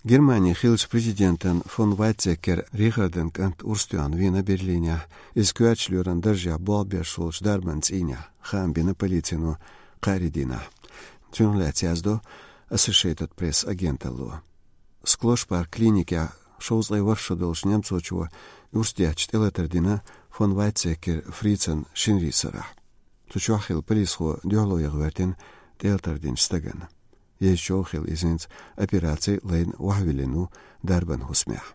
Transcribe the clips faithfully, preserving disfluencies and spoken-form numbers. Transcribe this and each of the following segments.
Германин хиллача президентан фон Вайцеккер Рихардан кӀант Урс тоьхна вийна Берлинехь, иза коьртачу лоьран даржехь болх беш волчу дарбан цӀийнехь, хаам бина полицино кхаарин дийнахь. Цунах лаьцна яздо Associated Press агенталло. Склошпарк клиникехь шовзткъе ворхӀ шо долчу немцочо урс детташ тӀелатар дина фон Вайцеккер Фрицан шинарин сарахь. Цу чохь хилла полисхо дуьхьало яха гӀоьртина тӀелатар динчу стагана. Езачу хилла иза хӀинца операци лайна охьавиллина ву дарбан хӀусамехь.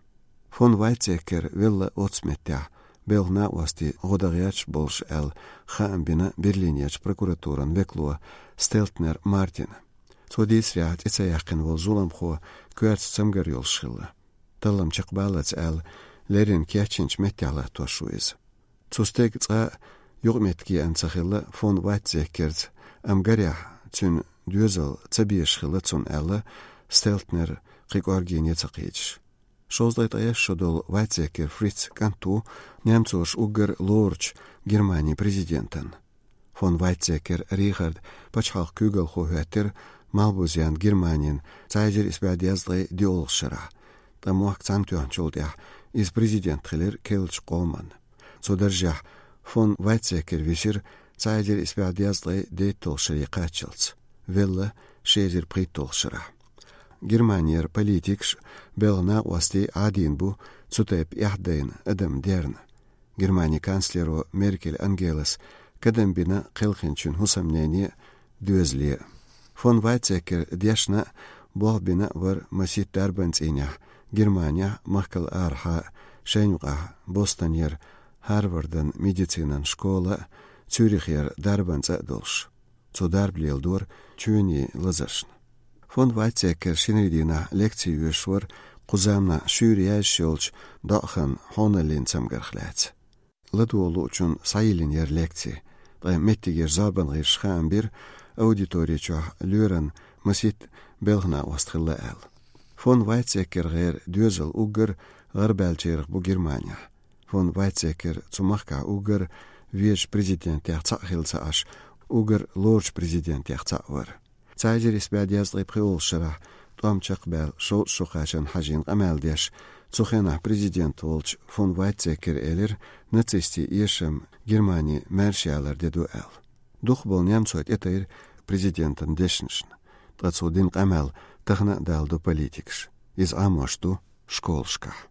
Фон Вайцеккер велла оццу меттехь, белхан накъостий гӀо дан гӀерташ болуш аьлла, хаам бина Берлинерчу прокуратуран векало Стелтнер Мартина. Цо дийцарехь, тӀе ца яьккхина волу зуламхо коьртачу цамгар йолуш хилла. Таллам чекхбаллалц аьлла, леррина кечйинчу меттехь латтош ву иза. Цу стеган цкъа а юкъаметтиг еана ца хилла фон Вайцеккерца, амма гарехь, цуьнан доьзал ца безаш хилла цунна аьлла, Стелтнер кхин кӀоргене ца кхийдаш. Шовзткъе ткъайесна шо долу Вайцеккер Фриц кӀант ву немцоша уггар лоручу Германин президентан. Фон Вайцеккер Рихард пачхьалкхан куьйгалхо хӀоьттира Малхбузенна Германин цхьа эзар исс бӀе дезткъе диъолгӀачу шарахь, ткъа мохк цхьаьна тоьхначул тӀаьхьа иза президент хилира керлачу къоман. Цу даржехь фон Вайцеккер висира цхьа эзар исс бӀе дезткъе дейтталгӀачу шаре кхаччалц, велла ши эзар пхийтталгӀачу шарахь. Германера политикаш, белхан накъостий Ӏадийна бу цу тайпа эхь дайна адам дерна. Германин канцлеро Меркель Ангелас кадам бина кхелхинчун хӀусамнене а, доьзале а. Фон Вайцеккер дешна а, болх бина а вара масийтта дарбан цӀийнехь Германехь, махкал арахьа а, шайна юкъахь Бостонера Харвардан медицинан школа а, Цюрихера дарбан цӀа а долуш. Цо дарба леладора чоьнийн лазаршна. Фон Вайцеккер шинарин дийнахь лекци йоьшуш вара кху заманахь шуьйра яьржаш йолчу доӀаханан хьоналлин цамгарх лаьцна. ЛадогӀа луучунна схьайиллина яра лекци, ткъа меттигерчу зорбан гӀирсаша хаам бира, аудитори чохь лоьран масийтта белхан накъост хилла аьлла. Фон Вайцеккер гӀера доьзал уггар гӀарабаьллачарах бу Германехь. Фон Вайцеккер цу махкахь уггар везачу президентех цхьаъ хилла ца Ӏаш, уггар лоручу президентех цхьаъ вара. Цхьа эзар исс бӀе дезткъе пхоьалгӀачу шарахь тӀом чекхбаьлла шовзткъа шо кхачарна хьажийна къамел деш, цу хенахь президент волчу фон Вайцеккера элира, нацистийн эшам Германи маьрша ялар де ду аьлла. Дукхахболу немцой тӀетайра президентан дешнашна, ткъа цо дина къамел тахана а даладо политикаша. Иза Ӏамош ду школашкахь.